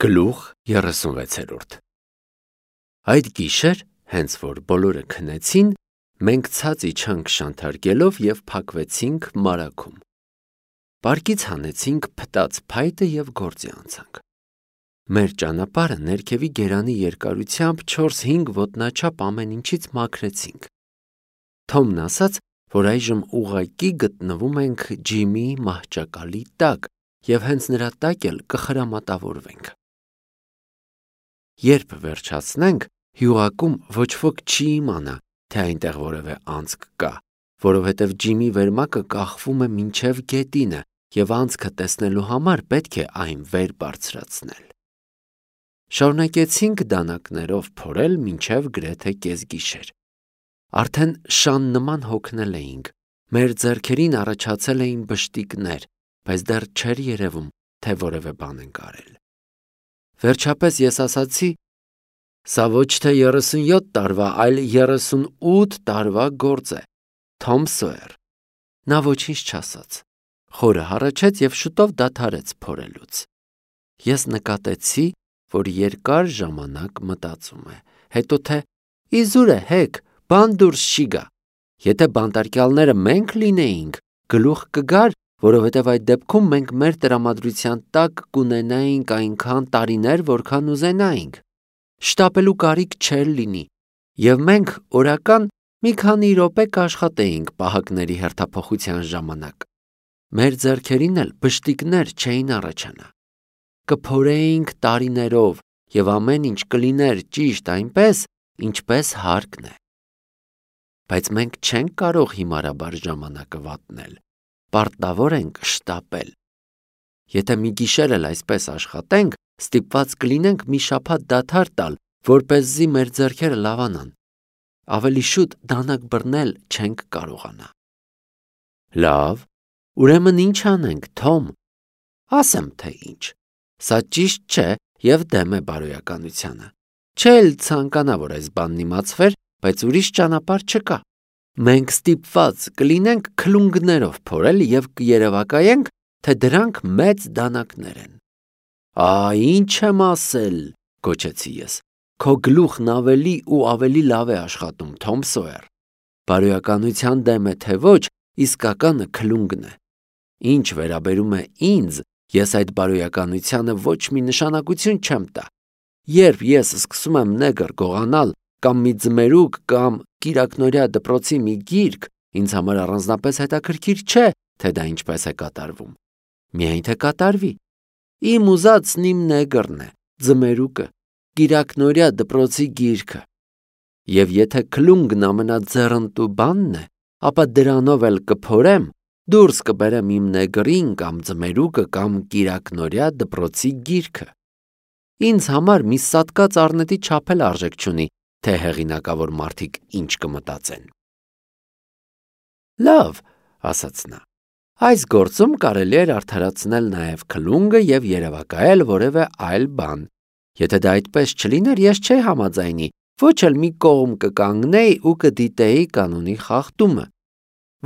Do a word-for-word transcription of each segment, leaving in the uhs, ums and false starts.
Գլուխ երեսունվեցերորդ Այդ գիշեր, հենց որ բոլորը քնեցին, մենք ցած իջանք շանթարգելով և փակվեցինք մարագում։ Պարկից հանեցինք փտած փայտը և գործի անցանք։ Մեր ճանապարհը ներքևի գերանի երկարությամբ չորս-հինգ ոտնաչափ ամեն ինչից մաքրեցինք։ Թոմն ասաց, որ այժմ ուղղակի գտնվում ենք Ջիմի մահճակալի տակ և հենց նրա տակ էլ կխրամատավորվենք։ Երբ վերջացնենք, հյուղակում ոչ ոք չի իմանա, թե այնտեղ որևէ անցք կա, որովհետև Ջիմի վերմակը կախվում է մինչև գետինը և անցքը տեսնելու համար պետք է այն վեր բարձրացնել։ Շարունակեցինք դանակներով փորել մինչև գրեթե կեսգիշեր։ Արդեն շան նման հոգնել էինք, մեր ձեռքերին առաջացել էին բշտիկներ, բայց դեռ չէր երևում, թե որևէ բան ենք արել։ Վերջապես ես ասացի. «Սա ոչ թե երեսունյոթ տարվա, այլ երեսունութ տարվա գործ է, Թոմ Սոյեր»։ Նա ոչինչ չասաց, խորը հառաչեց և շուտով դադարեց փորելուց։ Ես նկատեցի, որ երկար ժամանակ մտածում է, հետո թե «Իզուր է, հեք, բան դուրս չի գա»։ Եթե բանտարկյալները մենք լինեինք, գլուխ կգար, որովհետև այդ դեպքում մենք մեր տրամադրության տակ կունենայինք այնքան տարիներ, որքան ուզենայինք։ Շտապելու կարիք չէր լինի, և մենք օրական մի քանի րոպե կաշխատեինք պահակների հերթափոխության ժամանակ։ Մեր ձեռքերին էլ բշտիկներ չէին առաջանա։ Կփորեինք տարիներով, և ամեն ինչ կլիներ ճիշտ այնպես, ինչպես հարկն է։ Բայց մենք չենք կարող հիմարաբար ժամանակը վատնել, պարտավոր ենք շտապել։ Եթե մի գիշեր էլ այսպես աշխատենք, ստիպված կլինենք մի շաբաթ դադար տալ, որպեսզի մեր ձեռքերը լավանան։ Ավելի շուտ դանակ բռնել չենք կարողանա։ Լավ, ուրեմն ինչ անենք, Թոմ։ Ասեմ, թե ինչ։ Սա ճիշտ չէ և դեմ է բարոյականությանը։ Չէ էլ ցանկանա, որ այս բանն իմացվեր, բայց ուրիշ ճանապարհ չկա։ Մենք ստիպված կլինենք քլունգներով փորել և կերևակայենք, թե դրանք մեծ դանակներ են։ Ա, ինչ եմ ասել, գոչեցի ես։ Քո գլուխն ավելի ու ավելի լավ է աշխատում, Թոմ Սոյեր։ Բարոյականության դեմ է, թե ոչ, իսկականը քլունգն է։ Ինչ վերաբերում է ինձ, ես այդ բարոյականությանը ոչ մի նշանակություն չեմ տա։ Երբ ես սկսում եմ նեգր գողանալ կամ մի ձմերուկ կամ կիրակնօրյա դպրոցի մի գիրք, ինձ համար առանձնապես հետաքրքիր չէ, թե դա ինչպես է կատարվում։ Միայն թե կատարվի։ Իմ ուզածն իմ նեգրն է, ձմերուկը, կիրակնօրյա դպրոցի գիրքը։ Եվ եթե քլունգն ամենաձեռնտու բանն է, ապա դրանով էլ կփորեմ, դուրս կբերեմ իմ նեգրին կամ ձմերուկը կամ կիրակնօրյա դպրոցի գիրքը։ Ինձ համար մի սատկած առնետի չափ էլ արժեք չունի, թե հեղինակավոր մարդիկ ինչ կմտածեն։ Լավ, ասաց նա, այս գործում կարելի էր արդարացնել նաև քլունգը և երևակայել որևէ այլ բան։ Եթե դա այդպես չլիներ, ես չէի համաձայնի, ոչ էլ մի կողմ կկանգնեի ու կդիտեի կանոնի խախտումը,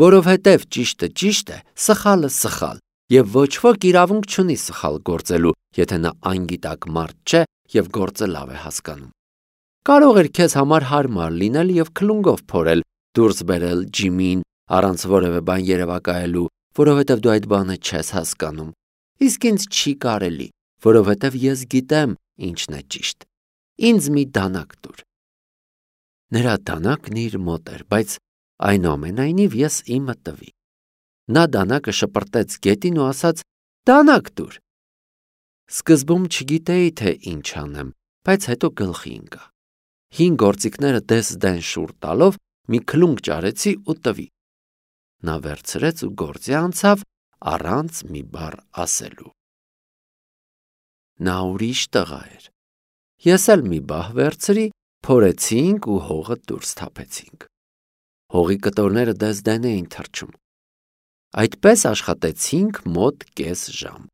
որովհետև ճիշտը ճիշտ է, սխալը սխալ, և ոչ ոք իրավունք չունի սխալ գործելու, եթե նա անգիտակ մարդ չէ և գործը լավ է հասկանում։ Կարող էր քեզ համար հարմար լինել և քլունգով փորել, դուրս բերել Ջիմին, առանց որևէ բան երևակայելու, որովհետև դու այդ բանը չես հասկանում։ Իսկ ինձ չի կարելի, որովհետև ես գիտեմ ինչն է ճիշտ։ Ինձ մի դանակ տուր։ Նրա դանակն իր մոտ էր, բայց այնուամենայնիվ ես իմը տվի։ Նա դանակը շպրտեց գետին ու ասաց. «Դանակ տուր»։ Սկզբում չգիտեի, թե ինչ անեմ, բայց հետո գլխի ընկա։ Հին գործիքները դես-դեն շուռ տալով մի քլունգ ճարեցի ու տվի։ Նա վերցրեց ու գործի անցավ առանց մի բառ ասելու։ Նա ուրիշ տղա էր։ Ես էլ մի բահ վերցրի, փորեցինք ու հողը դուրս թափեցինք։ Հողի կտորները դես-դեն էին թռչում։ Այդպես աշխատեցինք մոտ կես ժամ։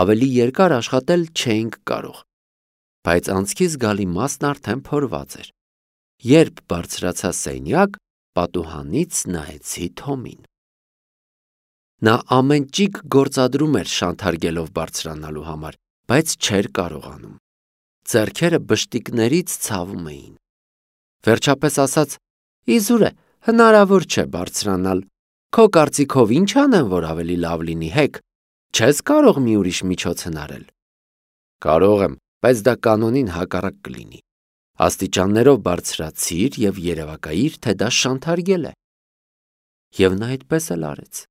Ավելի երկար աշխատել չէինք կարող, բայց անցքի զգալի մասն արդեն փորված էր։ Երբ բարձրացա սենյակ, պատուհանից նայեցի Թոմին։ Նա ամեն ճիկ գործադրում էր շանթարգելով բարձրանալու համար, բայց չէր կարողանում։ Ձեռքերը բշտիկներից ցավում էին։ Վերջապես ասաց. «Իզուր է, հնարավոր չէ բարձրանալ։ Քո կարծիքով ինչ անեմ, որ ավելի լավ լինի, հեկ։ Չես կարող մի ուրիշ միջոց հնարել»։ Կարող եմ, բայց դա կանոնին հակառակ կլինի։ Աստիճաններով բարձրացիր և երևակայիր, թե դա շանթարգել է։ Եվ նա այդպես էլ արեց։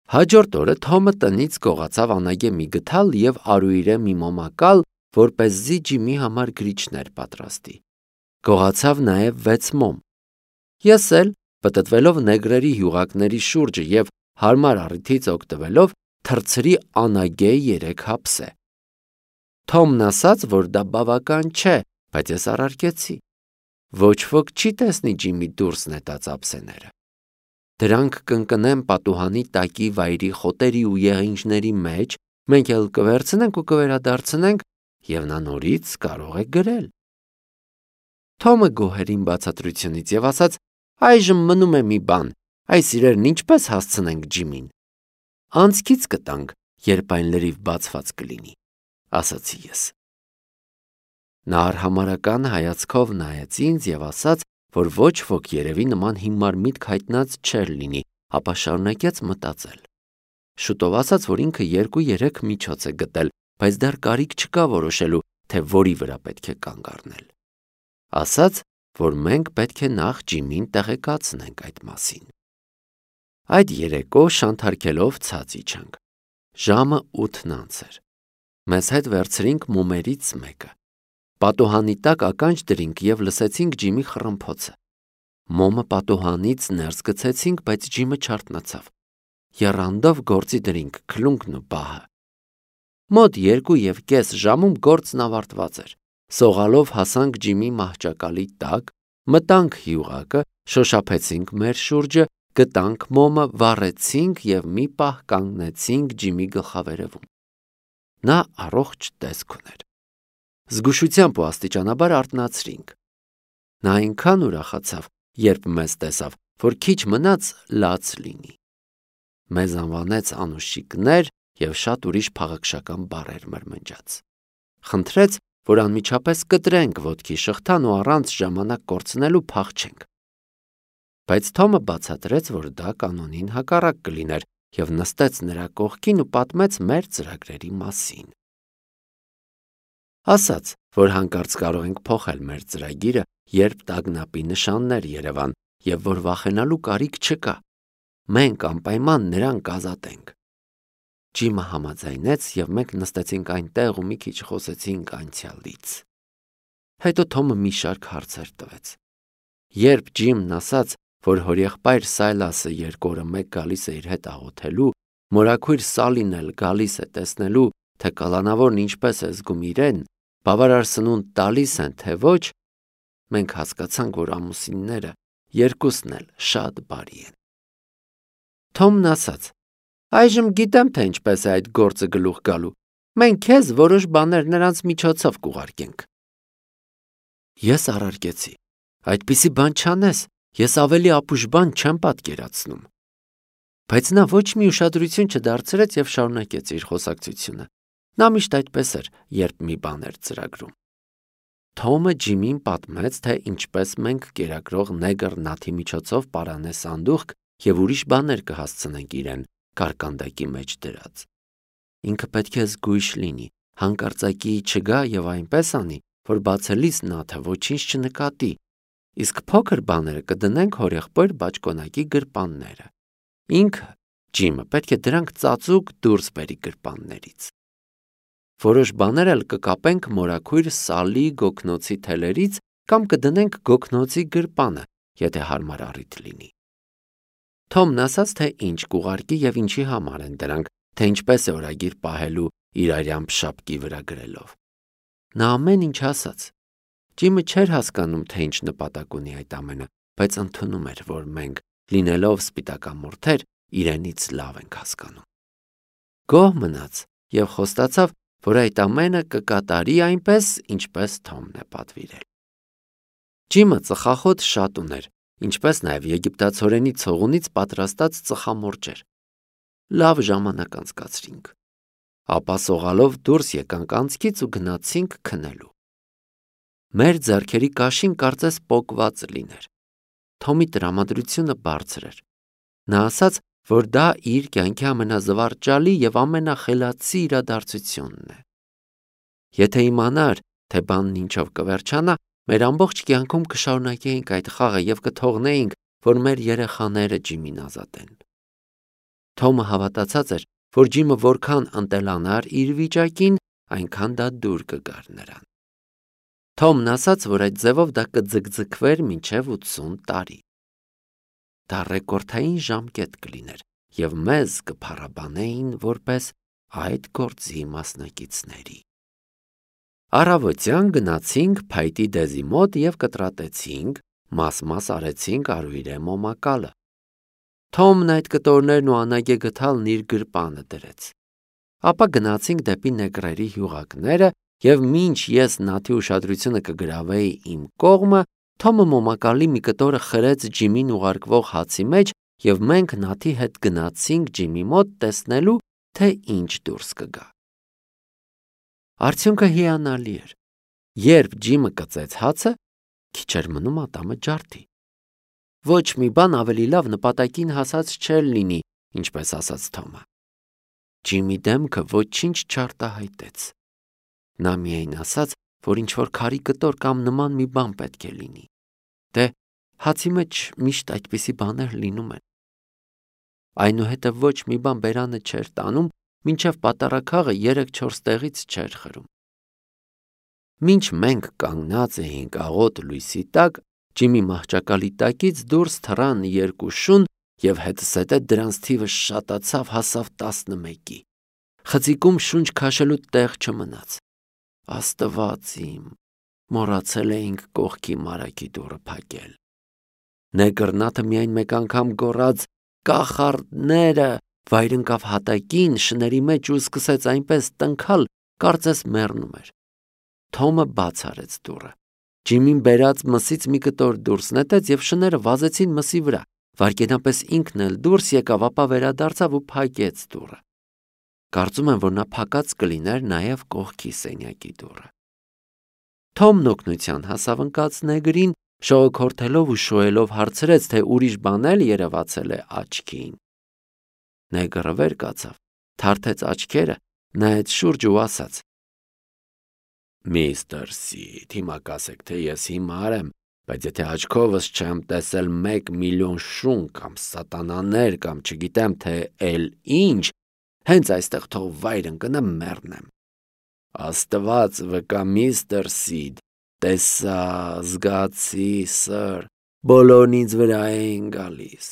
Հաջորդ օրը Թոմը տնից գողացավ անագեմի գթալ և արուիրե մի մոմակալ, որպեսզի Ջիմի համար գրիչներ պատրաստի։ Գողացավ նաև վեց մոմ։ Ես էլ, պտտվելով նեգրերի հյուղակների շուրջը և հարմար առիթից օգտվելով, թռցրի անագե երեք հապսե։ Թոմն ասաց, որ դա բավական չէ, բայց ես առարկեցի։ Ոչ ոք չի տեսնի Ջիմի դուրս նետած ափսեները։ Դրանք կընկնեն պատուհանի տակի վայրի խոտերի ու եղինջների մեջ, մենք էլ կվերցնենք ու կվերադարձնենք, և նա նորից կարող է գրել։ Թոմը գոհ էր իմ բացատրությունից և ասաց. «Այժմ մնում է մի բան, այս իրերն ինչպես հասցնենք Ջիմին»։ «Անցքից կտանք, երբ այն լրիվ բացված կլինի», ասացի ես։ Նա արհամարհական հայացքով նայեց ինձ և ասաց, որ ոչ ոք երևի նման հիմար միտք հայտնած չէր լինի, ապա շարունակեց մտածել։ Շուտով ասաց, որ ինքը երկու-երեք միջոց է գտել, բայց դեռ կարիք չկա որոշելու, թե որի վրա պետք է կանգ առնել։ Ասաց, որ մենք պետք է նախ Ջիմին տեղեկացնենք այդ մասին։ Այդ երեկո շանթարքելով ցած իջանք։ Ժամը ութն անց էր։ Մեզ հետ վերցրինք մոմերից մեկը։ Պատուհանի տակ ականջ դրինք և լսեցինք Ջիմի խռմփոցը։ Մոմը պատուհանից ներս գցեցինք, բայց Ջիմը չարթնացավ։ Եռանդով գործի դրինք քլունկն ու պահը։ Մոտ երկու և կես ժամում գործն ավարտված էր։ Սողալով հասանք Ջիմի մահճակալի տակ, մտանք հյուղակը, շոշափեցինք մեր շուրջը, գտանք մոմը, վառեցինք և մի պահ կանգնեցինք Ջիմի գլխավերևում։ Նա առողջ տեսք ուներ։ Զգուշությամբ ու աստիճանաբար արթնացրինք։ Նա այնքան ուրախացավ, երբ մեզ տեսավ, որ քիչ մնաց լաց լինի։ Մեզ անվանեց անուշիկներ և շատ ուրիշ փաղաքշական բառեր մրմնջաց։ Խնդրեց, որ անմիջապես կտրենք ոտքի շղթան ու առանց ժամանակ կորցնելու փախչենք։ Բայց Թոմը բացատրեց, որ դա կանոնին հակառակ կլիներ և նստեց նրա կողքին ու պատմեց մեր ծրագրերի մասին։ Ասաց, որ հանկարծ կարող ենք փոխել մեր ծրագիրը, երբ տագնապի նշաններ երևան, և որ վախենալու կարիք չկա։ Մենք անպայման նրան կազատենք։ Ջիմը համաձայնեց, և մենք նստեցինք այնտեղ ու մի քիչ խոսեցինք անցյալից։ Հետո Թոմը մի շարք հարցեր տվեց։ Երբ Ջիմն ասաց, որ հորեղբայր Սայլասը երկու օրը մեկ գալիս է իր հետ աղոթելու, մորաքույր Սալին էլ գալիս է տեսնելու, թե կալանավորն ինչպես է զգում իրեն, բավարար սնունդ տալիս են, թե ոչ, մենք հասկացանք, որ ամուսինները երկուսն էլ շատ բարի են։ Թոմն ասաց. «Այժմ գիտեմ, թե ինչպես է այդ գործը գլուխ գալու։ Մենք քեզ որոշ բաներ նրանց միջոցով կուղարկենք»։ Ես առարկեցի. «Այդպիսի բան չանես, ես ավելի ապուշ բան չեմ պատկերացնում»։ Բայց նա ոչ մի ուշադրություն չդարձրեց և շարունակեց իր խոսակցությունը։ Նա միշտ այդպես էր, երբ մի բան էր ծրագրում։ Թոմը Ջիմին պատմեց, թե ինչպես մենք կերակրող նեգր Նաթի միջոցով պարանե սանդուղք և ուրիշ բաներ կհասցնենք իրեն, կարկանդակի մեջ դրած։ Ինքը պետք է զգույշ լինի, հանկարծակի չգա և այնպես անի, որ բացելիս Նաթը ոչինչ չնկատի, իսկ փոքր բաները կդնենք հորեղբայր բաճկոնակի գրպանները։ Ինքը, Ջիմը, պետք է դրանք ծածուկ դուրս բերի գրպաններից։ Որոշ բաներ էլ կկապենք մորաքույր Սալի գոգնոցի թելերից կամ կդնենք գոգնոցի գրպանը, եթե հարմար առիթ լինի։ Թոմն ասաց, թե ինչ կուղարկի և ինչի համար են դրանք, թե ինչպես է օրագիր պահելու իր արյամբ շապկի վրա գրելով։ Նա ամեն ինչ ասաց։ Ջիմը չէր հասկանում, թե ինչ նպատակ ունի այդ ամենը, բայց ընդունում էր, որ մենք, լինելով սպիտակամորթեր, իրենից լավ ենք հասկանում։ Գոհ մնաց և խոստացավ, որ այդ ամենը կկատարի այնպես, ինչպես Թոմն է պատվիրել։ Ջիմը ծխախոտ շատ ուներ, ինչպես նաև եգիպտացորենի ցողունից պատրաստած ծխամորճեր։ Լավ ժամանակ անցկացրինք։ ապա սողալով դուրս եկանք անցքից ու գնացինք քնելու։ Մեր ձեռքերի կաշին կարծես պոկված լիներ։ Թոմի տրամադրությունը բարձր էր։ Նա ասաց, որ դա իր կյանքի ամենազվարճալի և ամենախելացի իրադարձությունն է։ Եթե իմանար, թե բանն ինչով կվերջանա, մեր ամբողջ կյանքում կշարունակեինք այդ խաղը և կթողնեինք, որ մեր երեխաները Ջիմին ազատեն։ Թոմը հավատացած էր, որ Ջիմը որքան ընտելանար իր վիճակին, այնքան դա դուր կգար նրան։ Թոմն ասաց, որ այդ ձևով դա կձգձգվեր մինչև ութսուն տարի։ Դա ռեկորդային ժամկետ կլիներ և մեզ կփառաբանեին որպես այդ գործի մասնակիցների։ Առավոտյան գնացինք փայտի դեզի մոտ և կտրատեցինք, մաս-մաս արեցինք արուիրե մոմակալը։ Թոմն այդ կտորներն ու անագե գդալն իր գրպանը դրեց։ Ապա գնացինք դեպի նեգրերի հյուղակները և մինչ ես Նաթի ուշադրությունը կգրավեի իմ կողմը, Թոմը մոմակալի մի կտորը խրեց Ջիմին ուղարկվող հացի մեջ և մենք Նաթի հետ գնացինք Ջիմի մոտ տեսնելու, թե ինչ դուրս կգա։ Արդյունքը հիանալի էր։ Երբ Ջիմը կծեց հացը, քիչ էր մնում ատամը ջարդի։ Ոչ մի բան ավելի լավ նպատակին հասած չէր լինի, ինչպես ասաց Թոմը։ Ջիմի դեմքը ոչինչ չարտահայտեց։ Նա միայն ասաց, որ ինչ-որ քարի կտոր կամ նման մի բան պետք է լինի։ Դե, հացի մեջ միշտ այդպիսի բաներ լինում են։ Այնուհետև ոչ մի բան բերանը չէր տանում, մինչև պատառաքաղը երեք-չորս տեղից չէր խրում։ Մինչ մենք կանգնած էինք աղոտ լույսի տակ, Ջիմի մահճակալի տակից դուրս թռան երկու շուն և հետզհետե դրանց թիվը շատացավ, հասավ տասնմեկի։ Խցիկում շունչ քաշելու տեղ չմնաց։ Աստված իմ, մոռացել էինք կողքի մարագի դուռը փակել։ Նեգրնաթը միայն մեկ անգամ գոռաց «Կախարդները», վայր ընկավ հատակին, շների մեջ ու սկսեց այնպես տնքալ, կարծես մեռնում էր։ Թոմը բաց արեց դուռը։ Ջիմին բերած մսից մի կտոր դուրս նետեց և շները վազեցին մսի վրա։ Վայրկենապես ինքն էլ դուրս եկավ, ապա վերադարձավ ու փակեց դուռը։ Կարծում եմ, որ նա փակած կլիներ նաև կողքի սենյակի դուռը։ Թոմն օգնության հասավ ընկած նեգրին, շողոքորթելով ու շոյելով հարցրեց, թե ուրիշ բան էլ երևացել է աչքին։ Նեգրը վեր կացավ, թարթեց աչքերը, նայեց շուրջը ու ասաց. «Միստր Սիդ, հիմա կասեք, թե ես հիմար եմ, բայց եթե աչքովս չեմ տեսել մեկ միլիոն շուն կամ սատանաներ կամ չգիտեմ թե էլ ինչ, հենց այստեղ թող վայր ընկնեմ մեռնեմ։ Աստված վկա, միստր Սիդ, տեսա, զգացի, սըր, բոլորն ինձ վրա էին գալիս։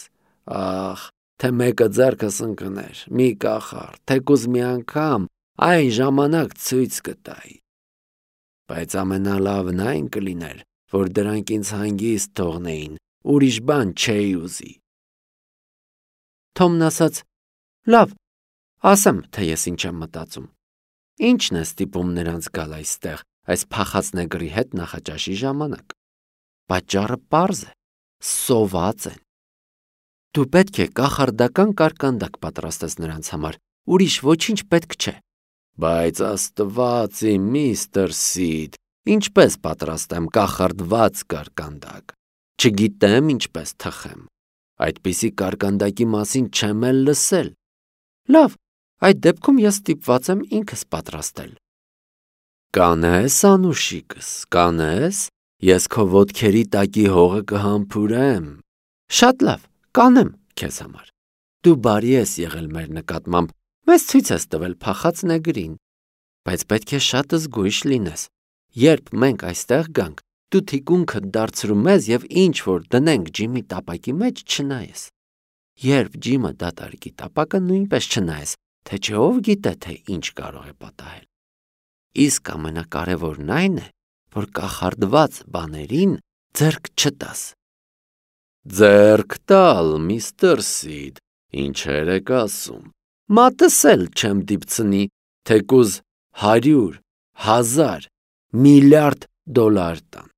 Ախ, թե մեկը ձեռքս ընկներ, մի կախարդ, թեկուզ մի անգամ, այն ժամանակ ցույց կտայի։ Բայց ամենալավն այն կլիներ, որ դրանք ինձ հանգիստ թողնեին, ուրիշ բան չէի ուզի»։ Թոմն ասաց. «Լավ, ասեմ, թե ես ինչ եմ մտածում։ Ինչն է ստիպում նրանց գալ այստեղ, այս փախած նեգրի հետ նախաճաշի ժամանակ։ Պատճառը պարզ է, սոված են։ Դու պետք է կախարդական կարկանդակ պատրաստես նրանց համար, ուրիշ ոչինչ պետք չէ»։ Բայց Աստված իմ, միստր Սիդ, ինչպես պատրաստեմ կախարդված կարկանդակ։ Չգիտեմ ինչպես թխեմ։ Այդպիսի կարկանդակի մասին չեմ էլ լսել։ Լավ, այդ դեպքում ես ստիպված եմ ինքս պատրաստել։ Կանես, անուշիկս, կանես, ես քո ոտքերի տակի հողը կհամբուրեմ։ Շատ լավ, կանեմ քեզ համար։ Դու բարի ես եղել մեր նկատմամբ, մեզ ցույց ես տվել փախած նեգրին, բայց պետք է շատ զգույշ լինես։ Երբ մենք այստեղ գանք, դու թիկունքդ դարձրու մեզ և ինչ որ դնենք Ջիմի տապակի մեջ չնայես։ Երբ Ջիմը դատարկի տապակը, նույնպես չնայես, թե չէ ով գիտե, թե ինչ կարող է պատահել։ Իսկ ամենակարևորն այն է, որ կախարդված բաներին ձեռք չտաս։ Ձեռք տալ, միստր Սիդ, ինչեր եք ասում։ Մատս էլ չեմ դիպցնի, թեկուզ հարյուր, հազար, միլիարդ դոլար տան։